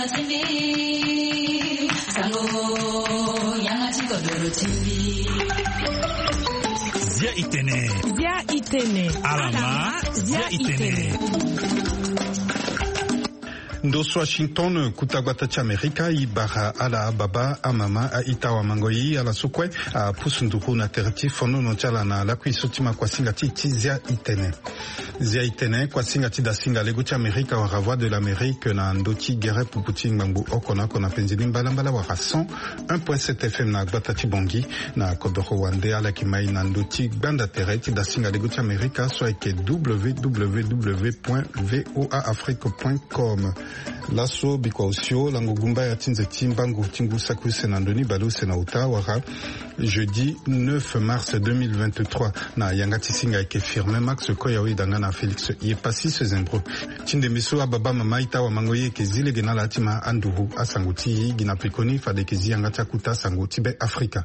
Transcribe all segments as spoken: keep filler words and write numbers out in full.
Zia itene. Zia itene. Alama. Zia itene. Ndo so Washington, kuta gbata ti Amerika, e bara ala ababa, amama, a-ita, awamango, e ala so kue apusu nduru na tere ti fonono ti ala na lakui so ti ma kuasinga ti, ti Zia itene. Zia itene, kuasinga ti dasinga lego ti Amerika wala Voix de l'Amérique na ndö ti gere pupu ti ngbangbo oko na oko na penzi ni mbalambala wala cent un point sept F M na gbata ti Bangui. Na kodoro wande ala yeke mai na ndö ti gbanda tere ti dasinga lego ti Amerika so ayeke W W W point V O A Afrique point com. Laso bikua osio lango gumbaya ti nze ti mbangu ti ngu saki use na ndo ni bale use na uta wala jeudi neuf mars deux mille vingt-trois, na yanga ti singa ayeke Firmin Max Koyawe danga na Félix Yepassis Zembro. Ti ndembe so ababa, mama, a-ita, awamango, e yeke zi lege na ala ti ma anduru asango ti e gi na pekoni fade e yeke zi yanga ti akuta sango ti Be Afrika.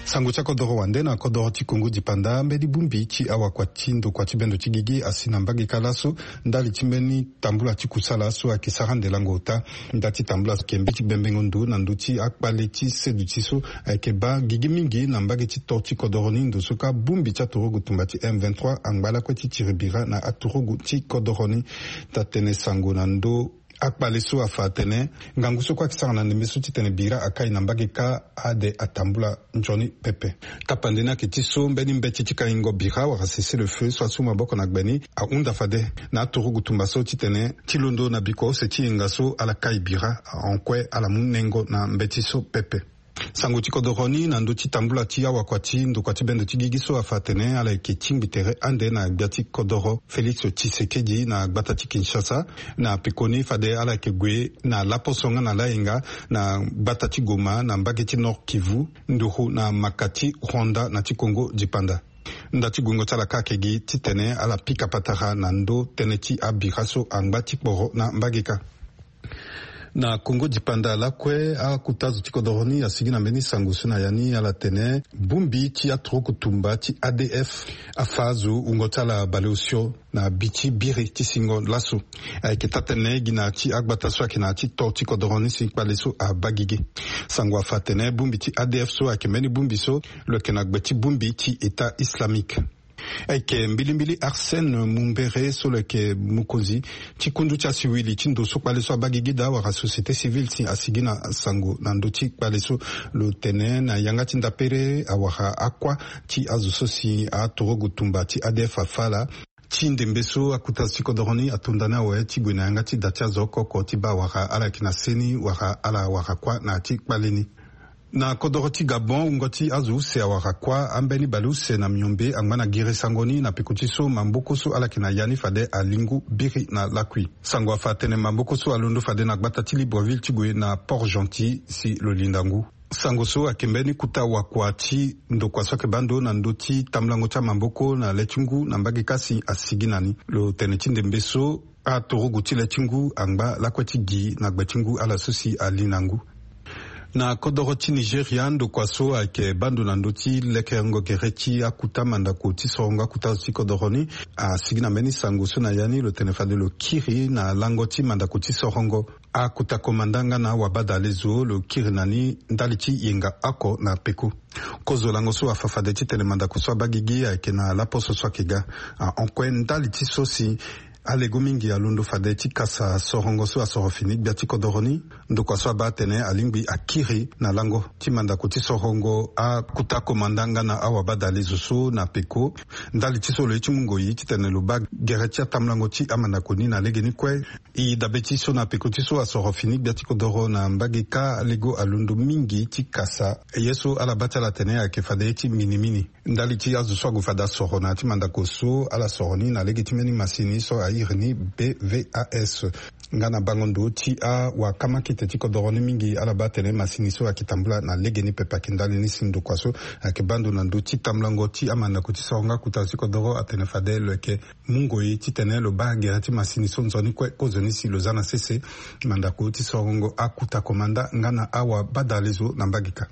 Sango ti akodoro wande na kodoro ti Kongo dipanda, mbeni bongbi ti awakua ti ndokua ti bendo ti gigi asi na mbage kâ laso ndali ti mbeni tambula ti kusala so ayeke sara ande lango ota. Nda ti tambula so ayeke mbi ti bembengo ndo na ndö ti akpale ti seduti so ayeke baa gigi mingi na mbage ti to ti kodoro ni. Ndo so kâ bongbi ti aturugu tumba ti M vingt-trois angba lakue ti tiri bira na aturugu ti kodoro ni. Taa tene sango na ndö akpale so afa atene ngangu so kue ayeke sara na ndembe so titene bira akai na mbage kâ ade atambula nzoni pepe. Tapande ni ayeke ti so mbeni mbeti ti kaingo bira wala cessez-le-feu so asu maboko na gbe ni ahunda fade na aturugu tumba so titene ti londo na bikua use ti yenga so ala kai bira, ahon kue ala mu nengo na mbeti so pepe. Sango ti kodoro ni na ndö ti tambula ti awakua ti ndokua ti bendo ti gigi so afa atene ala yeke tingbi tere ande na gbia ti kodoro Félix Tshisekedi na gbata ti Kinshasa, na pekoni fade ala yeke gue na laposo nga na layenga na gbata ti Goma na mbage ti Nord-Kivu, nduru na maka ti Rwanda na ti Kongo dipanda. Nda ti guengo ti ala kâ ayeke gi titene ala pika patara na ndö tënë ti abira so angba ti kporo na mbage kâ. Na Kongo dipanda lakue, akuta zo ti kodoro ni asigi na mbeni sango so na ya ni ala tene bongbi ti aturuku tumba ti A D F afa azo wungo ti ala baleosio na bi ti biri ti singo laso. Ayeke taa tene gi na ya ti agbata so ayeke na ya ti to ti kodoro ni si kpale so abaa gigi. Sango afa atene bongbi ti A D F so ayeke mbeni bongbi so lo yeke na gbe ti bongbi ti État islamique. Ayeke mbilimbili Arsène Mumbere so lo yeke mokonzi ti kundu ti asiwili ti ndo so kpale so abaa gigi daa wala société civile si asigi na sango na ndö ti kpale so. Lo tene na yanga ti ndapere awara akua ti azo so si aturugu tumba ti A D F afa ala ti ndembe so akuta zo ti kodoro ni atonda ni awe ti gue na yanga ti da ti azo oko oko ti baa awara ala yeke na seni wala ala awara kuâ na ya ti kpale ni. Na kodoro ti Gabon, wungo ti azo use awara kuâ ambeni baleuse na miombe angba na gere sango ni na peko ti so maboko so ala yeke na ya ni fade alingu biri na lakui. Sango afa atene maboko so alondo fade na gbata ti Libreville ti gue na Port-Gentil si lo linda ngu. Sango so ayeke mbeni kuta wakua ti ndokua so ayeke baa ndo na ndö ti tambulango ti amaboko na le ti ngu na mbage kâ si asigi na ni. Lo tene ti ndembe so aturugu ti le ti ngu angba lakue ti gi na gbe ti ngu ala so si ali na ngu. Na kodoro ti Nigeria, ndokua so ayeke baa ndo na ndö ti lekerengo gere ti akuta mandako ti sorongo akuta zo ti kodoro ni asigi na mbeni sango so na ya ni lo tene fade lo kiri na lango ti mandako ti sorongo akuta komanda nga na awabadalezo lo kiri na ni ndali ti yenga oko na peko. Kozo lango so afa fade titene mandako so abaa gigi ayeke na laposo so ayeke ga. Ahon kue ndali ti so si alego mingi alondo fade ti kasa sorongo so asoro fini gbia ti kodoro ni. Ndokua so abaa atene alingbi akiri na lango ti mandako ti sorongo akuta komanda nga na awabadalezo so na peko. Ndali ti so lo ye ti mu ngoi titene lo baa gere ti atambulango ti amandako ni na legeni kue. E dabe ti so na peko ti so asoro fini gbia ti kodoro na mbage kâ alego alondo mingi ti kasa ye so ala baa ti ala atene ayeke fade ye ti minimini. Ndali ti azo so ague fade asoro na ya ti mandako so ala soro ni na lege ti mbeni masini so airi ni B V A S. Nga na bango ndo ti awakamaki te ti kodoro ni mingi ala baa atene masini so ayeke tambula na legeni pepe ayeke ndali ni si ndokua so ayeke baa ndo na ndö ti tambulango ti amandako ti sorongo akuta ti kodoro atene fade lo yeke mu ngoi titene lo baa gere ti masini so nzoni kue kozoni si lo za na sese mandako ti sorongo akuta komanda nga na awabadalezo na mbage kâ.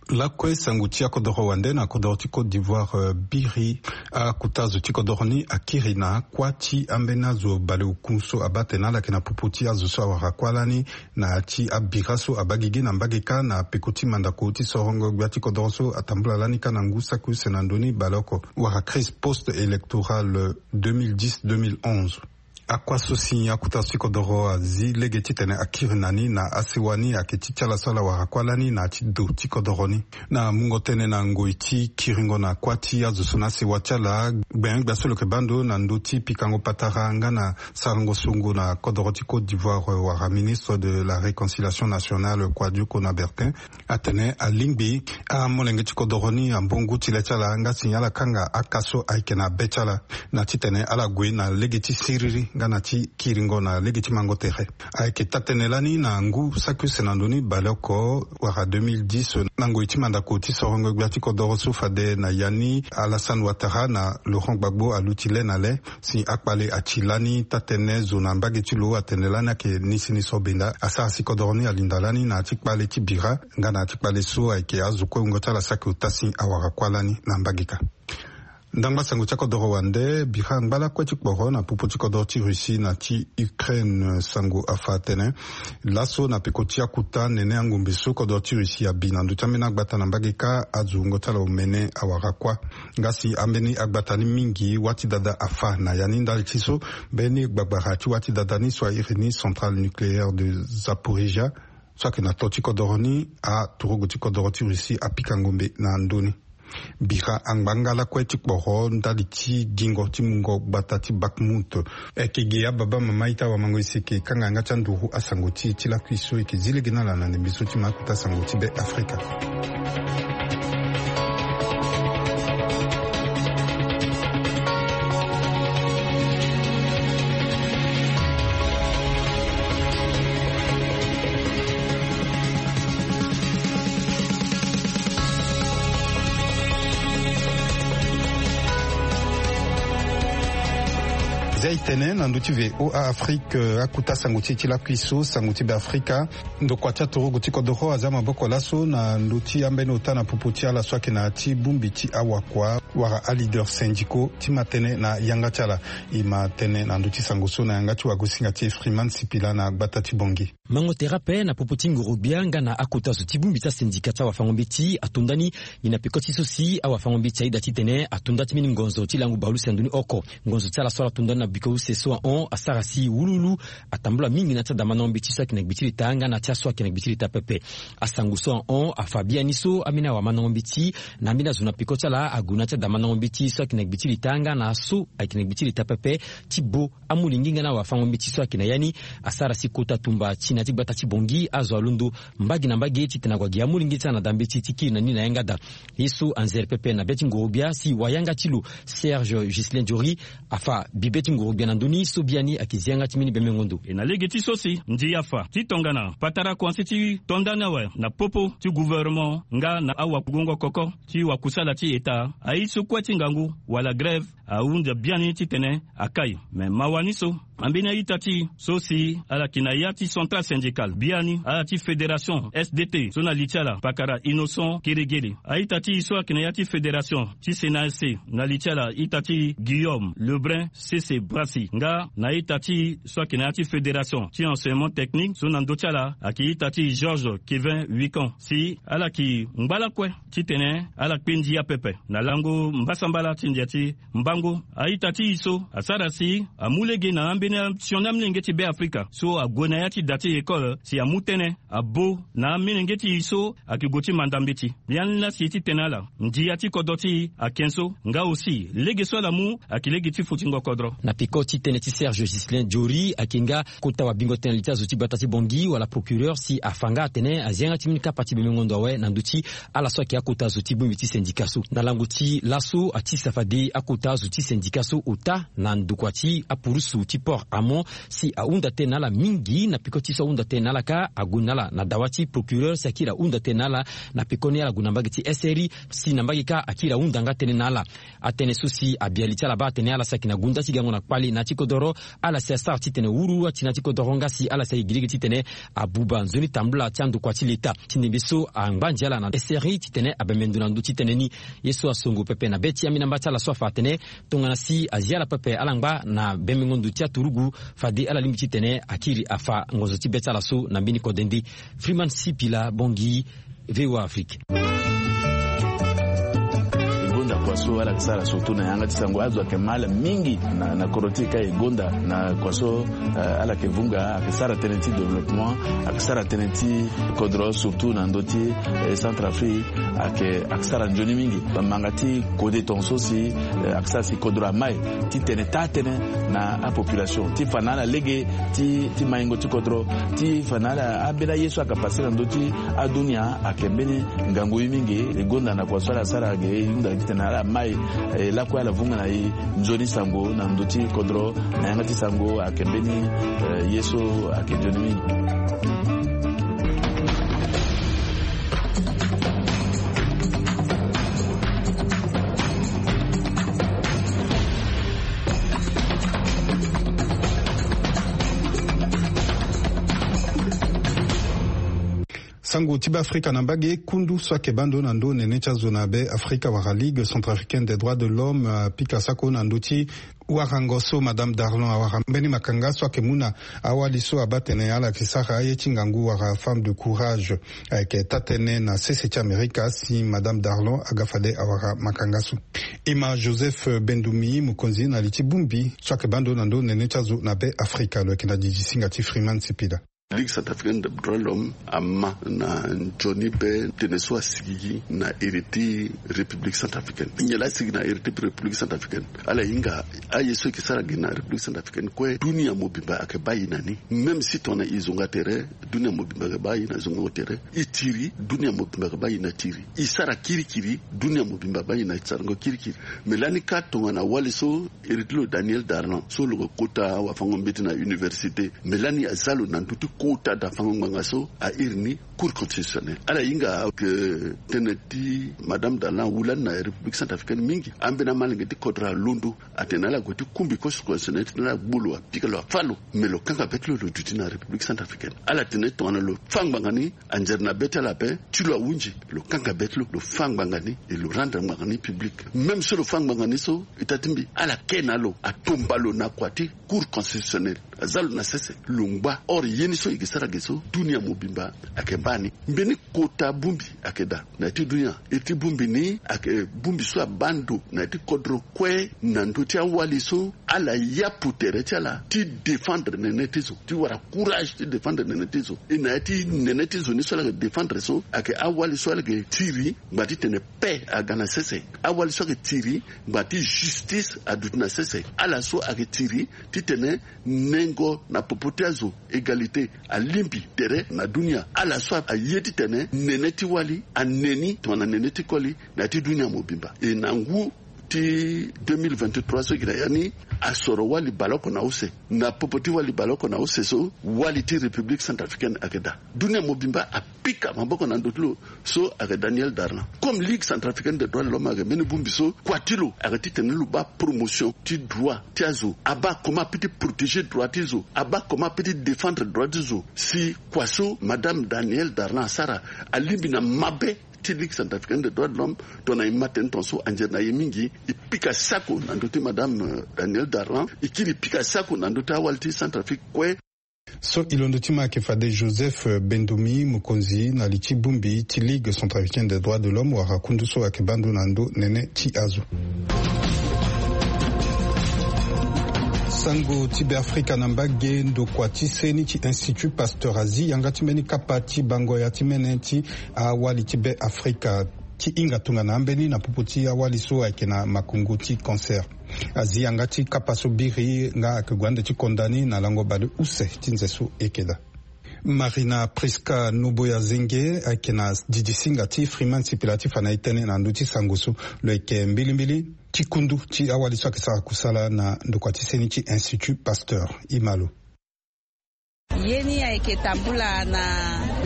Lakue sango ti akodoro wande na kodoro ti Côte d'Ivoire, biri akuta azo ti kodoro ni akiri na akua ti ambeni azo baleoku so abaa tene ala yeke na popo ti azo so awara kuâ lani na ya ti abira so abaa gigi na mbage kâ na peko ti mandako ti sorongo gbia ti kodoro so atambula lani kâ na ngu saki use na ndö ni baleoko wala crise post électorale deux mille dix deux mille onze. Akua so si akuta so ti kodoro azi lege titene akiri na ni na asewa ni ayeke ti ti ala so ala wara kuâ lani na ya ti do ti kodoro ni. Na mungo tënë na ngoi ti kiringo na kuâ ti azo so na asewa ti ala, gbengbia so lo yeke baa ndo na ndö ti pikango patara nga na sarango songo na kodoro ti Côte d'Ivoire wala ministre de la réconciliation nationale Kouadio Konabertin atene alingbi amolenge ti kodoro ni ambo ngu ti le ti ala nga si ala kanga aka so ayeke na be ti ala na titene ala gue na lege ti siriri nga na ti kiringo na lege ti mango tere. Ayeke taa-tënë lani na ngu saki use na ndö ni baleoko wala deux mille dix na ngoi ti mandako ti sorongo gbia ti kodoro so fade na ya ni Alassane Ouattara na Laurent Gbagbo aluti le na le si akpale ati lani taa-tënë zo na mbage ti lo atene lani ayeke ni si ni so benda asara si kodoro ni alinda lani na ya ti kpale ti bira nga na ya ti kpale so ayeke azo kue wungo ti ala saki ota si awara kuâ lani na mbage kâ. Ndangba sango ti akodoro wande bira ngba lakue ti kporo na popo ti kodoro ti Russie na ti Ukraine. Sango afa atene laso na peko ti akuta nene angombe so kodoro ti Russie abi na ndö ti ambeni agbata na mbage kâ azo wungo ti ala omene awara kuâ. Nga si ambeni agbata ni mingi wâ ti dada afa na ya ni ndali ti so mbeni gbagbara ti wâ ti dada ni so airi ni centrale nucléaire de Zaporizhia so ayeke na to ti kodoro ni, aturugu ti kodoro ti Russie apika ngombe na ndö ni. Bira angba nga lakue ti kporo ndali ti gingo ti mungo gbata ti Bakhmut. Eke ge ababa mama ita wamango ese eke kanga yanga ti anduru asango ti e ti lakui so eke zi lege na ala na ndembe so ti ma akuta sango ti Be Afrika. Zia e tene na ndö ti V O A Afrique, akuta sango ti e ti lakui so sango ti Be Afrika. Ndokua ti aturugu ti kodoro aza maboko laso na ndö ti ambeni ota na popo ti ala so ayeke na ya ti bongbi ti awakua wala aleader syndicaux ti ma tënë na yanga ti ala. E ma tënë na ndö ti sango so na yanga ti wagosinga ti e Freeman Sipila na gbata ti Bangui. Mango tere ape na popo ti ngorogbia nga na akota zo ti bongbi ti asendika ti awafango-mbeti ato nda ni. Ngi na peko ti so si awafango-mbeti aida titene ato nda ti mbeni ngonzo ti lango bale use na ndö ni oko. Ngonzo ti ala so ala to nda ni na biko use so ahon asara si wuluwulu atambula mingi na ti adamandango mbeti so ayeke na gbe ti leta nga na ti aso ayeke na gbe ti leta pepe. Asango so ahon afa biani so ambeni awamandango mbeti na ambeni azo na peko ti ala ague na ti adamandango mbeti so ayeke na gbe ti leta nga na aso ayeke na gbe ti leta pepe ti bo amolenge nga na awafango-mbeti so ayeke na ya ni. Asara si kota tumba ti na ya ti gbata ti Bangui azo alondo mbage na mbage titene ague agi amolenge ti ala na da mbeti ti kiri na ni na yanga daa. Ye so anzere pepe na be ti ngorogbia si wayanga ti lo Serge Ghislain Jory afa bibe ti ngorogbia na ndö ni so biani ayeke zi yanga ti mbeni bemengo ndo. E na lege ti so si ndia afa ti tongana patara kuanse ti to nda ni awe na popo ti gouvernement nga na awakugongo koko ti wakusala ti eta aye so kue ti ngangu wala grève ahunda biani titene akai. Me mawa ni so ambeni a-ita ti e so si ala yeke na ya ti centrale syndicale biani ala ti fédération S D T so na li ti ala pakara Innocent Keregere, a-ita ti e so ayeke na ya ti fédération ti C N A S C na li ti ala ita ti Guillaume Lebrun Sese Brassi nga na a-ita ti e so ayeke na ya ti fédération ti enseignement technique so na ndö ti ala ayeke ita ti Georges Kevin Wicon si ala yeke ngba lakue titene ala kpe ndia pepe na lango mbasambala ti ndia ti mbango. A-ita ti e so asara si amu lege na ambeni sioni amolenge ti Be Afrika so ague na ya ti da ti école si amu tënë abo na amolenge ti e so ayeke gue ti manda mbeti. Biani laa si ti tene ala ndia ti kodro ti e ayeke so nga aussi lege so ala mu ayeke lege ti futingo kodro. Na peko ti tënë ti Serge Ghislain Jory ayeke nga kota wabingo tënë na li ti azo ti gbata ti Bangui wala procureur si afa nga atene azi yanga ti mbeni kapa ti bemengo ndo awe na ndö ti ala so ayeke akota zo ti bongbi ti sendika so. Na lango ti laso ati safa de akota zo ti sendika so ota na ndokua ti apurusu ti port. Amo si ahunda tënë na ala mingi na peko ti so ahunda tënë na ala kâ, ague na ala na dawa ti procureur si akiri ahunda tënë na ala. Na pekoni ala gue na mbage ti S R I si na mbage kâ akiri ahunda nga tënë na ala. Atënë so si abia li ti ala baa atene ala si ayeke na gunda ti gango na kpali na ya ti kodoro, ala si asara titene wuru ati na ya ti kodoro nga si ala si ayeke gi lege titene abuba nzoni tambula ti andokua ti leta. Ti ndembe so angba ndia ala na S R I titene abembe ndo na ndö ti tënë ni. Ye so asongo pepe na be ti ambeni amba ti ala so afa atene tongana si azi ala pepe ala ngba na bembengo ndo ti aturugu, fade ala lingbi titene akiri afa ngonzo ti be ti ala so na mbeni kode nde. Freeman Sipila Bongi, V O A Afrique. E gonda kua so ala yeke sara surtout na yanga ti sango, azo ayeke mal mingi na, na kodro ti e kâ e gonda na kua so, eh, ala yeke vunga, ayeke sara tënë ti développement, ayeke sara tënë ti kodro surtout na ndö ti, eh, Centrafrique, ayeke, ayeke sara nzoni mingi. Bamanga ti kode tongaso si, eh, ayeke sara si kodro amai titene taa tënë na apopulation ti fa na ala lege ti, ti maingo ti kodro, ti fa na ala ambeni aye so ayeke pase na ndö ti adunia ayeke mbeni ngangu ye mingi. E gonda na kua so ala sara ge e hunda titene ala mai, eh, lakue ala vunga na e nzoni sango na ndö ti kodro na yanga ti sango ayeke mbeni, eh, ye so ayeke nzoni mingi. Sango ti Beafrika na mbage. Kundu so ayeke baa ndo na ndö nene ti azo na Beafrika wala Ligue Centrafricaine des Droits de l'Homme, euh, apika sako na ndö ti warango so Madame Darlon awara mbeni makanga so ayeke mu na awali so abaa tene ala yeke sara aye ti ngangu wala femme de courage. Ayeke taa-tënë na sese ti Amerika si Madame Darlon aga fade awara makanga so. E ma Joseph Bendoumi, mokonzi na li ti bongbi so ayeke baa ndo na ndö nene ti azo na Beafrika, lo yeke na didi singa ti Freeman Sipila. Ligue Centrafricaine des Droits de l'Homme ama na nzoni be tënë so asigigi na iri ti République Centrafricaine. Nyen laa asigi na iri ti République Centrafricaine? Ala hinga aye so e yeke sara gi na République Centrafricaine kue, dunia mobimba ayeke baa e na ni. Même si tongana e zonga tere, dunia mobimba ayeke baa e na zongango tere. E tiri, dunia mobimba ayeke baa e na tiri. E sara kirikiri, dunia mobimba abaa e na sarango kirikiri. Me lani kâ tongana wali so iri ti lo Daniel Darlan so lo yeke kota wafango-mbeti na université. Me lani aza lo na ndö ti kota dafango ngbanga so a iri ni Cour constitutionnelle. Ala hinga ayeke tënë ti Madame Darlan awu lani na République Centrafricaine mingi. Ambeni amalenge ti kodro alondo atene ala gue ti kumbi Cour constitutionnelle titene ala gbu lo, apika lo, afâ lo. Me lo kanga be ti lo, lo duti na République Centrafricaine. Ala tene tongana lo fâ ngbanga ni, anzere na be ti ala ape, ti lo ahunzi, lo kanga be ti lo, lo fâ ngbanga ni, e lo rendre ngbanga ni public. Même so lo fâ ngbanga ni so, ita ti mbi, ala ke na lo, atomba lo na kua ti Cour constitutionnelle. Aza lo na sese, lo ngba. Or, ye ni so e yeke sara ge so, dunia mobimba ayeke baa ni. Mbeni kota bongbi ayeke daa na ya ti dunia. Iri ti bongbi ni ayeke bongbi so abaa ndo na ya ti kodro kue na ndö ti awali so ala yapu tere ti ala ti défendre nene ti zo, ti wara courage ti défendre nene ti zo. E na ya ti nene ti zo ni so ala yeke défendre so ayeke awali so ala yeke tiri ngba titene paix aga na sese. Awali so ayeke tiri ngba ti justice aduti na sese. Ala so ayeke tiri titene nengo na popo ti azo, égalité, alingbi tere na dunia. Ala so aye titene nene ti wali ane ni tongana nene ti koli na ya ti dunia mobimba. E na ngu ti deux mille vingt-trois so e yeke na ya ni, asoro wali baleoko na use. Na popo ti wali baleoko na use so, wali ti République Centrafricaine ayeke daa. Dunia mobimba apika maboko na ndö ti lo. So ayeke Daniel Darlan. Comme Ligue Centrafricaine des Droits de l'Homme ayeke mbeni bongbi so, kua ti lo ayeke titene lo baa promotion ti droit ti azo. Abaa comment apeut ti protéger droit ti zo. Abaa comment apeut ti défendre droit ti zo. Si kua so Madame Daniel Darlan asara alingbi na mabe ti Ligue Centrafricaine des Droits de l'Homme, tongana e ma tënë tongaso anzere na e mingi. E pika sako na ndö ti Madame, euh, Daniel Darlan. E kiri pika sako na ndö ti awali ti Centrafrique kue. So e londo ti ma ayeke fade Joseph, euh, Bendoumi, mokonzi na li ti bongbi ti Ligue Centrafricaine des Droits de l'Homme, wala kundu so ayeke baa ndo na ndö nene ti azo. Sango ti Beafrika na mbage. Ndokua ti seni ti Institut Pasteur azi yanga ti mbeni kapa ti bango ya ti mene ti awali ti Beafrika ti hinga tongana ambeni na popo ti awali so ayeke na makongo ti cancer. Azi yanga ti kapa so biri nga ayeke gue ande ti konda ni na lango baleuse ti nze so e yeke daa. Marina Prisca Noboya Zenge ayeke na didi singa ti Freeman Sipila ti fa na e tënë na ndö ti sango so. Lo yeke mbilimbili. Ti kundu ti awali so ayeke sara kusala na ndokua ti seni ti Institut Pasteur. Imalo. Ye ni ayeke tambula na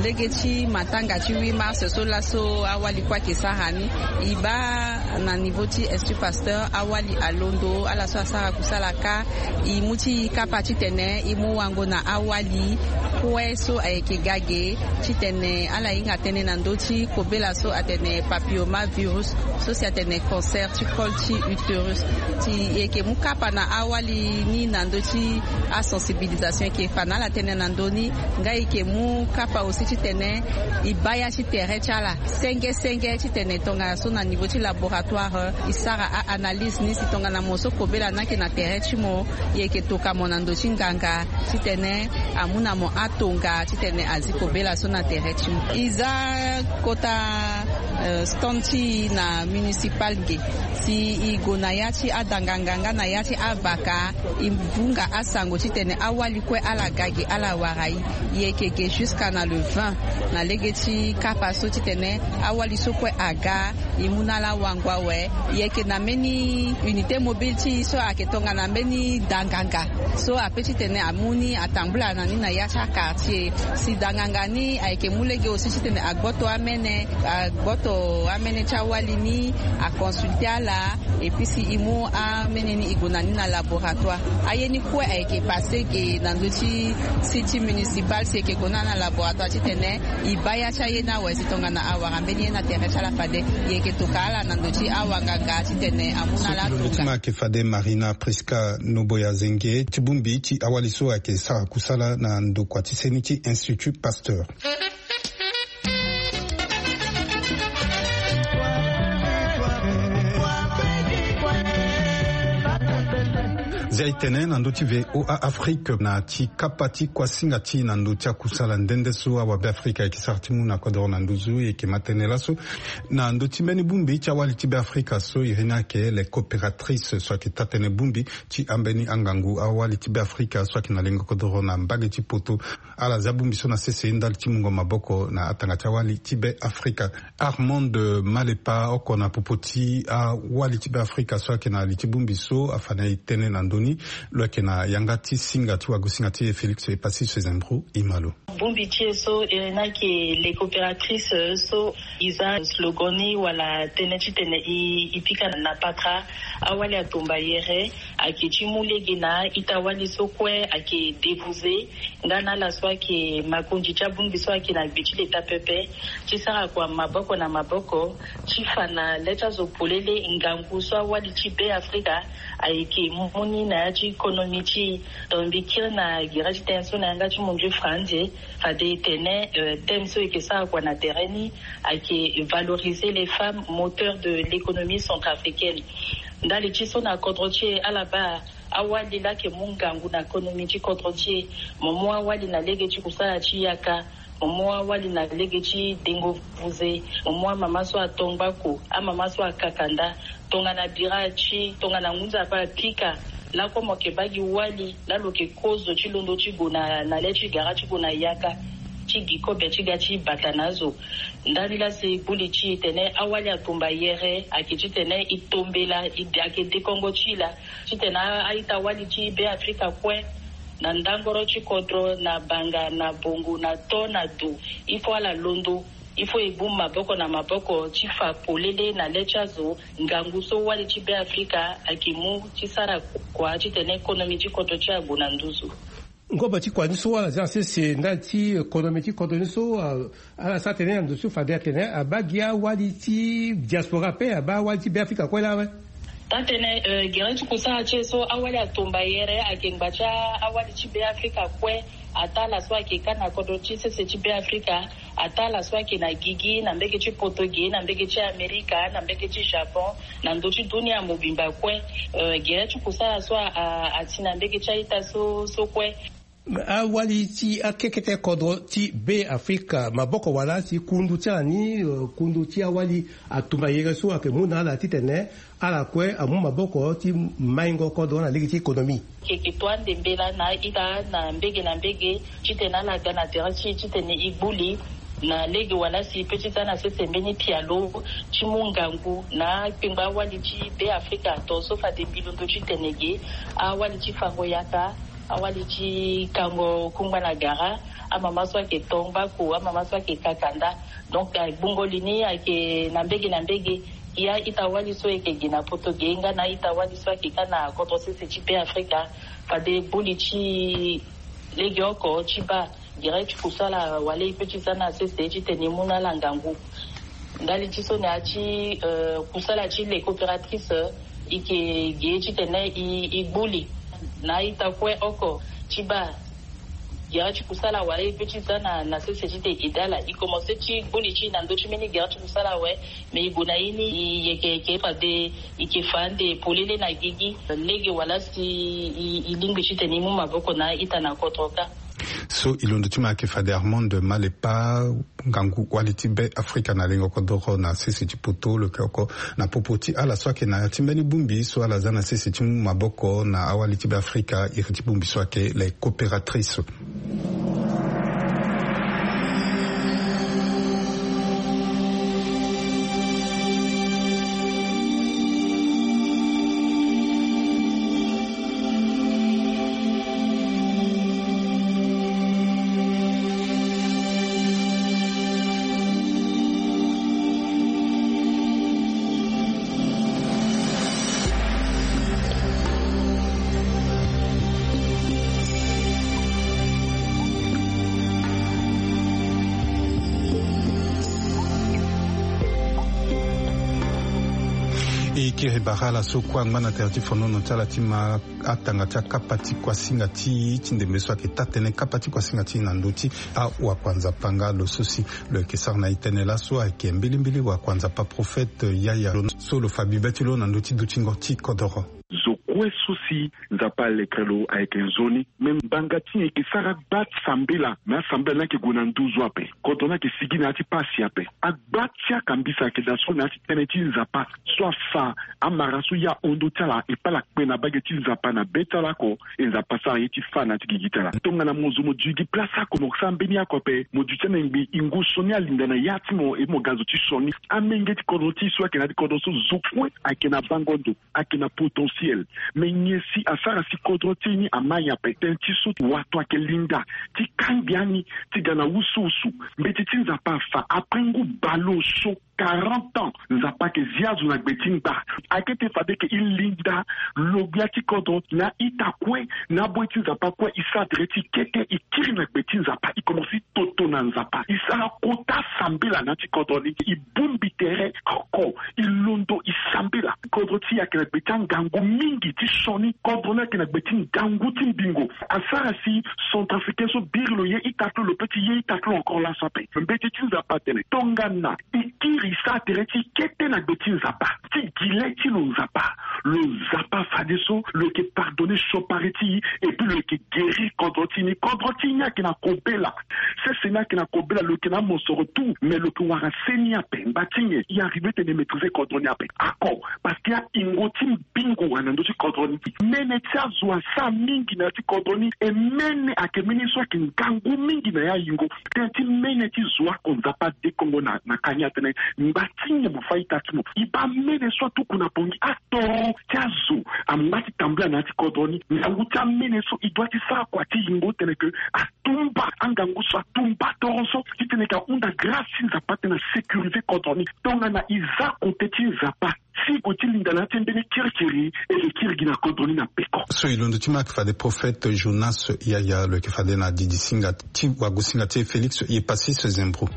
lege ti matanga ti huit mars so laso awali kue ayeke sara ni. E baa na niveau ti Institut Pasteur, awali alondo ala so asara kusala kâ. E mu ti e kapa titene e mu wango na awali kue so ayeke ga ge, titene ala hinga tënë na ndö ti kobela so atene papillomavirus, so si atene cancer ti col ti utérus. Si e yeke mu kapa na awali ni na ndö ti asensibilisation, e yeke fa na ala tënë na ndö ni. Nga e yeke mu kapa aussi titene e baa ya ti tere ti ala senge senge titene tongana so na niveau ti laboratoire e sara a-analyse ni, si tongana mo so kobela ni ayeke na tere ti mo, e yeke toka mo na ndö ti nganga titene amu na mo atonga titene azi kobela so na tere ti mo. E za kota, euh, stand ti e na municipal ge. Si e gue na ya ti adanganga nga na ya ti avaka, e vunga asango titene awali kue ala ga ge ala wara e. E yeke ge jusqu'à na le vingt na lege ti kapa so titene awali so kue aga, e mu na ala wango awe. E yeke na mbeni unité mobile ti e so ayeke tongana mbeni danganga so ape titene amu ni atambula na ni na ya ti aquartier. Si danganga ni ayeke mu lege aussi titene agboto amene, agboto amene ti awali ni, aconsulte ala. Et puis si e mu amene ni e gue na ni na laboratoire. Aye ni kue ayeke passe ge na ndö ti site municipal. Si e yeke gue na ni na laboratoire titene e baa ya ti aye ni awe, si tongana awara mbeni ye na tere ti ala fade, e yeke toka ala na ndö ti awanganga titene amu na ala tonga. Ti ma ayeke fade Marina Prisca Noboya Zenge ti bongbi ti awali so ayeke sara kusala na ndokua ti seni ti Institut Pasteur. Zia e tene na ndö ti V O A Afrique na ti kapa ti kuasinga ti e na ndö ti akusala nde nde so awabe Afrika ayeke sara ti mu na kodoro na nduzu. E yeke ma tënë laso na ndö ti mbeni bongbi ti awali ti Be Afrika so iri ni ayeke les coopératrices so ayeke taa-tënë bongbi ti ambeni angangu awali ti Be Afrika so ayeke na lengo kodoro na mbage ti poto. Ala zia bongbi so na sese ndali ti mungo maboko na atanga ti awali ti Be Afrika. Armand Malepa, oko na popo ti awali ti Be Afrika so ayeke na li ti bongbi so afa na e tënë na ndö ni. Lo yeke na yanga ti singa ti wagosinga ti e Félix Epassi Sezembro. Imalo. Bongbi ti e so iri ni ayeke les coopératrices, euh, so e za slogan ni wala tënë titene e, e pika na patra. Awali atomba yere ayeke ti mu lege na ita-wali so kue ayeke débouser nga na ala so ayeke makonzi ti abongbi so ayeke na gbe ti leta pepe, ti sara kua maboko na maboko ti fa na le ti azo polele ngangu so awali ti Be Afrika ayeke mu ni na ya ti konomi ti e. Donc mbi kiri na gere ti tënë so na yanga ti mundu ti franze, fade e tene, euh, thème so e yeke sara kua na tere ni ayeke valoriser les femmes moteurs de l'économie centrafricaine. Ndali ti so na kodro ti e ala baa awali laa ayeke mu ngangu na konomi ti kodro ti e. Mo mu awali na lege ti kusala ti yaka, mo mu awali na lege ti dengo vuze, mo mu amama so ato ngbako, amama so akaka nda. Tongana bira ti, tongana ngunza ape apika, lakue mo yeke baa gi wali laa lo yeke kozo ti londo ti gue na, na le ti gara ti gue na yaka ti gi kobe ti ga ti bata na azo. Ndani laa si gbu li ti e tene awali atumba yere ayeke titene e tombela e de, ayeke dekongo ti e laa titene a, a-ita-wali ti Be Afrika kue na ndangoro ti kodro, na banga, na bongo, na to, na do, il faut ala londo. Il faut e gbu maboko na maboko ti fa polele na le ti azo ngangu so wali ti Be Afrika ayeke mu ti sara kua titene konomi ti kodro ti e ague na nduzu. Ngobo ti kua ni so ala za sese ndali ti konomi ti kodro ni so, ah, ala sara tene na ndo so fade atene abaa gi awali ti diaspora ape, abaa awali ti Be Afrika kue laa awe. Taa-tënë, eh, gere ti kusala ti e so awali atumba yere ayeke ngba ti a, awali ti Be Afrika kue. Ataa ala so ayeke ka na kodro ti sese ti Be Afrika, ataa ala so ayeke na gigi, na mbege ti poto ge, na mbege ti Amerika, na mbege ti Japon, na ndö ti dunia mobimba kue. Eh, gere ti kusala so a, a, ati na mbege ti a-ita so, so kue. Awali ti akekete kodro ti Be Afrika, maboko wala si kundu ti ala ni, eh, kundu ti awali atumba yere so ayeke mu na ala titene ala kue amu maboko ti maingo kodro na lege ti économie. Yeke to ande mbela na a-ita na mbege na mbege titene ala ga na tere ti e titene e gbu li. Na lege wala si pe ti za na sese mbeni pialo ti mu ngangu na akpengba awali ti be afrika to so fade mbi londo ti tene ge, awali ti fango yaka, awali ti kango kungba na gara, amama so ayeke tongbaku, amama so ayeke kakanda. Donc agbungo li ni ayeke na mbege na mbege. Ya ita wali so eke gi na poto ge nga na ita wali so ake ka na kodro sese ti be afrika. Fade buli ti lege oko ti baa gere ti kusala wala e pe ti za na sese ti tene e mu na ala ngangu. Ndali ti so na ya ti kusala ti le coopératrice, e ke ge ti tene e gbu li na ita kue oko ti baa gere ti kusala wala e pe ti za na sese ti te e dala e komanse ti gbu li ti na ndö ti mbeni gere ti kusala awe. Mais e gue na ye ni e yeke yeke fade e ke fa ande polele na gigi lege wala si e lingbi ti tene e mu maboko na ita na kodro kâ. So e londo ti ma ayeke fade armande malepa, ngangu wali ti be afrika na lengo kodoro na sese ti poto lo yeke oko na popo ti ala so ayeke na ya ti mbeni bongbi so ala za na sese ti mu maboko na awali ti be afrika iri ti bongbi so ayeke le coopératrice. E kiri bara ala so kue angba na tere ti fonono ti ala ti ma atanga ti akapa ti kuasinga ti e ti ndembe so ayeke taa-tënë kapa ti kuasinga ti e na ndö ti awakua nzapa nga lo so si lo yeke sara na e tënë laso ayeke mbilimbili wakua nzapa prophète yaya lo so lo fa bibe ti lo na ndö ti dutingo ti kodoro. Zo kue so si nzapa alekere lo ayeke nzoni. Me mbanga ti nyen e ke sara gba ti sambela me asambela ni ayeke gue na nduzu ape. Kodro ni ayeke sigi na ya ti pasi ape. Agba ti akambisa ayeke daa so na ya ti tënë ti nzapa so afa amara so ya hon ndö ti ala e pala kpe na bage ti nzapa na be ti ala oko. E nzapa sara ye ti fa na ya ti gigi ti ala tongana mo zo mo dui gi place oko mo sara mbeni oko ape mo dui ti ana ngbi e ngu sioni alinda na ya ti mo e mo ga zo ti sioni. Amenge ti kodro ti e so ayeke na ya ti kodro so zo kue ayeke na bango ndo. Ayeke na potentiel. Me nyen si asara si kodro ti e ni ama nyen ape tënë ti so wato ayeke linda ti kangbi ani ti ga na wusuwusu. Mbeti ti nzapa afa après ngu baleoso quarante ans nzapa ayeke zi azo na gbe ti ngba. Ayeke ti fade eke e linda lo gbia ti kodro na ita kue na aboyi ti nzapa kue e sara tere ti e kete e kiri na gbe ti nzapa e komanse toto na nzapa e sara kota sambela na ya ti kodro ni e bongbi tere oko e londo e sambela. Kodro ti e ayeke na gbe ti angangu mingi ti sioni. Kodro ni ayeke na gbe ti ngangu ti mbingo. Asara si centrafricain so biri lo ye ita ti lo lo pe ti ye ita ti lo encore laso ape. Mbeti ti nzapa atene tongana e kiri e sara tere ti e kete na gbe ti nzapa ti gi le ti lo nzapa lo nzapa fadeso lo yeke pardonner siopari ti e. Et puis lo yeke guérir kodro ti e ni kodro ti e ni ayeke na kobela. Sese ni ayeke na kobela lo yeke na amosoro tout mais lo yeke wara se ni ape ngba ti nyen e arriver tene e maîtriser kodro ni ape ako. Parce que ahingo ti mbingo wara na ndö ti kodro ni. Mene ti azo asara mingi na ya ti kodro ni e mene ayeke mene so ayeke ngangu mingi na ya ahingo. Tënë ti mene ti zo oko nzapa adekongo na na ka ni atene ngba ti nyen mo fa ita ti mo e baa mene so atuku na pongi atoro ti azo angba ti tambula na ya ti kodro ni. Ngangu ti amene so e doit ti sara kua ti yingo titene ke atumba angangu so atumba toro so titene ke ahunda grâce ti nzapa titene asécuriser kodro ni. Tongana e za kote ti nzapa si e gue ti linda na ya ti mbeni kirikiri e ke kiri gi na kodro ni na peko. So e londo ti ma ayeke fade prophète jonas yaya lo yeke fade na didi singa ti wagosinga ti e félix ye passis zembro.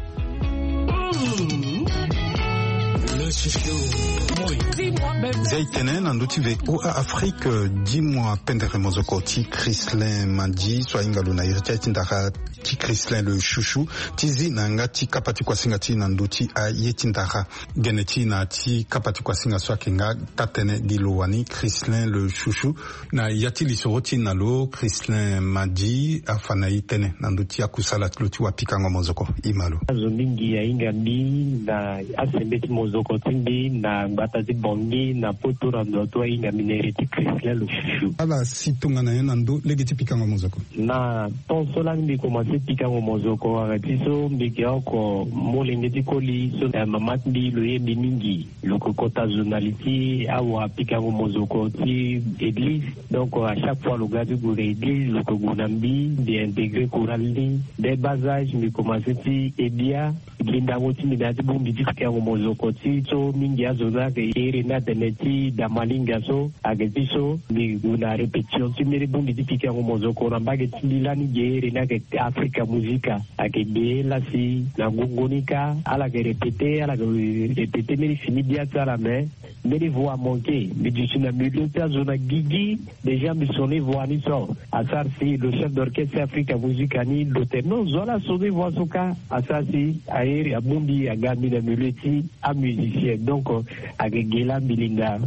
Zia e tene na ndö ti voa afrique. Dimoi pendere mozoko ti chrislin mandi so ahinga lo na iri ti aye ti ndara ti chrislin le chouchou ti zi na yanga ti kapa ti kuasinga ti e na ndö ti aye ti ndara. Gene ti e na ya ti kapa ti kuasinga so ayeke nga taa-tënë gi lo wani chrislin le chouchou. Na ya ti lisoro ti e na lo chrislin madi afa na e tënë na ndö ti akusala ti lo ti wapikango mozoko. E ma lo. Azo mingi ahinga mbi na asembeti mozoko ti mbi na gbata ti bongi. Na poto na ndo ato ahinga mbi na ere ti Christian Lochouchou. Ala si tongana nyen na ndo lege ti pikango mozoko? Na temps so lani mbi komanse pikango mozoko, wala ti so mbi ke oko molenge ti koli so, eh, mama ti mbi lo ye mbi mingi. Lo ke kota journaliste ti awa pikango mozoko ti église. Donc, euh, à chaque fois lo ga ti gue na église, lo ke gue na mbi, mbi intégrer chorale ni. Dès bas âge mbi komanse ti ebia. Gi ndango ti mbi na ya ti bongbi ti pikango mozoko ti so mingi azo ni ayeke ere ni atene ti damalinga so. Ayeke ti so mbi gue na répétition ti mbeni bongbi ti pikango mozoko na mbage ti mbi lani ge ere ni ayeke Africa Musica. Ayeke ge la si na ngongo ni kâ ala yeke répéter, ala yeke répéter mbeni fini bia ti ala, mais mbeni voix amanqué. Mbi duti na milieu ti azo na gigi. Déjà mbi sioni voix ni so. Asara si lo chef d'orchestre Africa Musica ni lo tene non, zo ala sioni voix so kâ. Asara si aye abongbi aga mbi na milieu ti amusicien. Donc, euh, ayeke ge la mbi linda,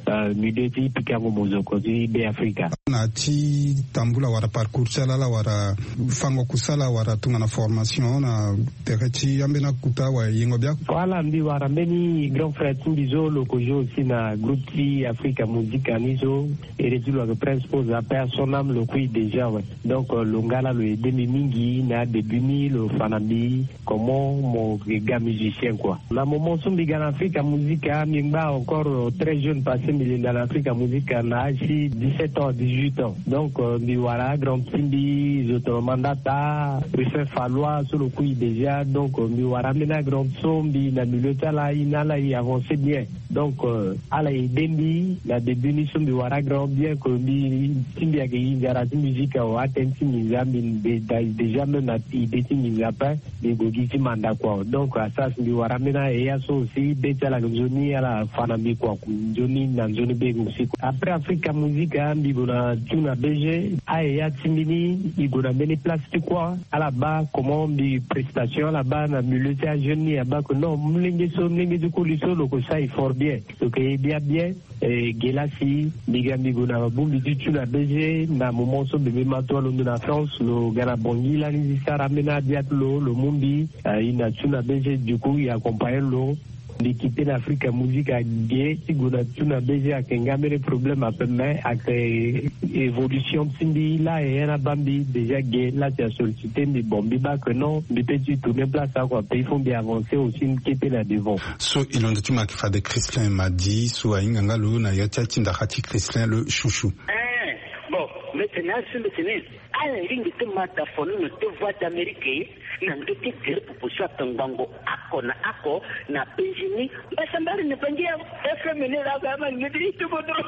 euh, milieu ti pikango mozoko ti Be Afrika. Na ti tambula wala parcours ti ala, ala wara fango kusala wala tongana formation na tere ti ambeni akuta wala yengo biaku? Voilà, mbi wara mbeni grand frère ti mbi so lo ke jouer aussi na groupe ti Africa Musica ni so. Ere ti lo ayeke Prince Pose, la paix à son âme, lo kui déjà, ouais. Donc, euh, lo nga la lo aidé mbi mingi na adébut ni, lo fa na mbi comment mo ga musicien, quoi. Na moment so mbi ga na Africa Musica, mbi ngba encore, euh, très jeune, parce que mbi linda na Africa Musica na âge ti dix-sept ans, dix-huit ans. Donc, euh, mbi wara grand ti mbi, zo tongana Mandata, Ruffin Fallois so lo kui déjà. Donc, euh, mbi wara ambeni grand so mbi na milieu ti ala, e na ala e avancer bien. Donc, euh, ala aidé mbi na début ni so mbi wara grand, bien que mbi ti mbi ayeke e nzara ti musique awe, atene ti nginza mbi déjà même na idée ti nginza ape, mbi gue gi ti manda, quoi. Donc, asara si mbi wara ambeni eya so aussi, be ti ala ayeke nzoni, ala fa na mbi, quoi. Nzoni na nzoni be aussi, quoi. Après Africa Musica, mbi gue na Tuna B G, aeya ti mbi ni e gue na mbeni place ti, quoi. Ala baa comment mbi prestation ala baa na milieu ti ajeune ni, abaa que non, molenge so, molenge ti koli so lo ke sara e fort bien, lo ke e bia bien. Eh, ge la si mbi ga mbi gue na bongbi ti Tuna B G na moment so bebe Mato alondo na France, lo ga na Bangui lani ti sara ambeni abia ti lo, lo mu mbi, eh, e na Tuna B G, du coup e accompagner lo. Mbi quitté na Africa Musica ge ti gue na Tuna B G, ayeke nga mbeni problème ape, mais ayeke évolution ti mbi la, e na baa mbi déjà ge la si a sollicité mbi, bon, mbi baa que non, mbi peut ti tourner place awe, quoi, pe il faut mbi avancer aussi, mbi kete na devant. So e londo ti mo ayeke fade Christian Madi so ahinga nga lo na ya ti atinda ti Christian le chouchou. Eh, bon, mbi tene asi mbi tene ala lingbi ti mata fono na ti Voix d'Amérique na ndö ti gere pupu so ayeke ngbongo oko na oko na penzi ni. Mbasambala na Bangui awe, F M ni la ga ma ni ti kodro.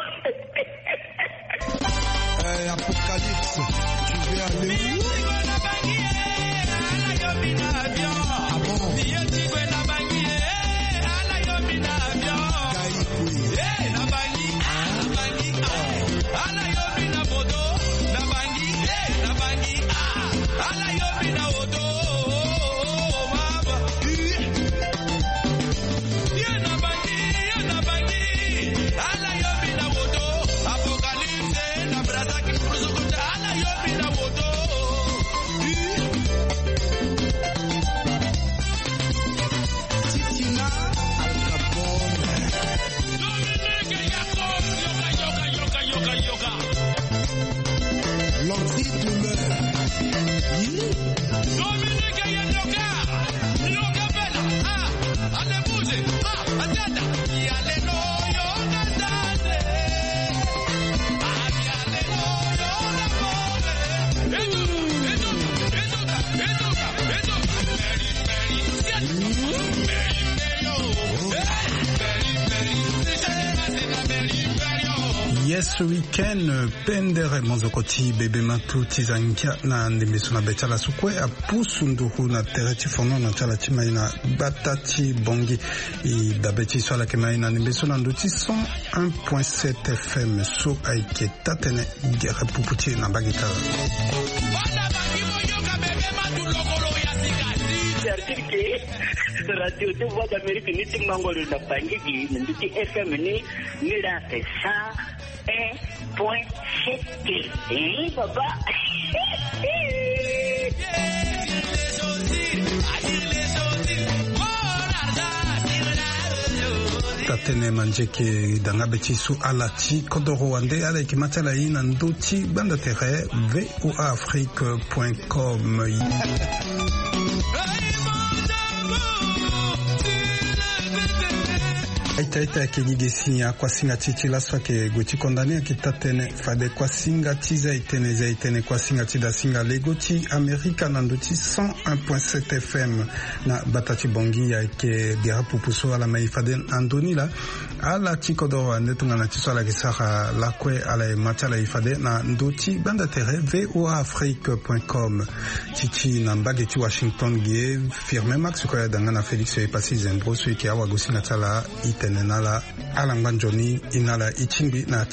Eh, Apocalypse, tu veux aller où? Ah bon? Yes, week-end, pendere mozoko ti bebe matu ti zangia na ndembe so na be ti ala so kue apusu nduru na tere ti fonono ti ala ti mai na gbata ti Bangui. E dabe ti so ala yeke mai na ndembe so na ndo ti cent un point sept F M so ayeke taa-tënë gere pupu ti e na mbage ti ala. Radio ti Voix d'Amérique ni ti mango lo na Bangui gi na ndö ti F M ni, ni la ake cent un point sept. Eh, baba. Atene manzeke danga be ti so ala ti kodoro wande ala yeke ma ti ala ye na ndö ti gbanda tere voa afrique point com. Aita aita ayeke ni ge si akuasinga ti e ti laso ayeke gue ti kondane ayeke taa tënë fade kuasinga ti zai tënë zai tënë kuasinga ti dasinga lego ti amerika na ndö ti cent un point sept fm. Na bata ti bongi ayeke gere pupu so ala ma e fade na ndö ni laa. Ala ti kodoro ande tongana ti so ala yeke sara lakue ala ye ma ti ala e fade na ndö ti gbanda tere voa afrique point com. Ti ti na mbage ti washington ge firme max kue ada nga na félix epasi zembro so e yeke awagosinga ti ala. E tene na ala ala ngba nzoni e na ala e tingbi na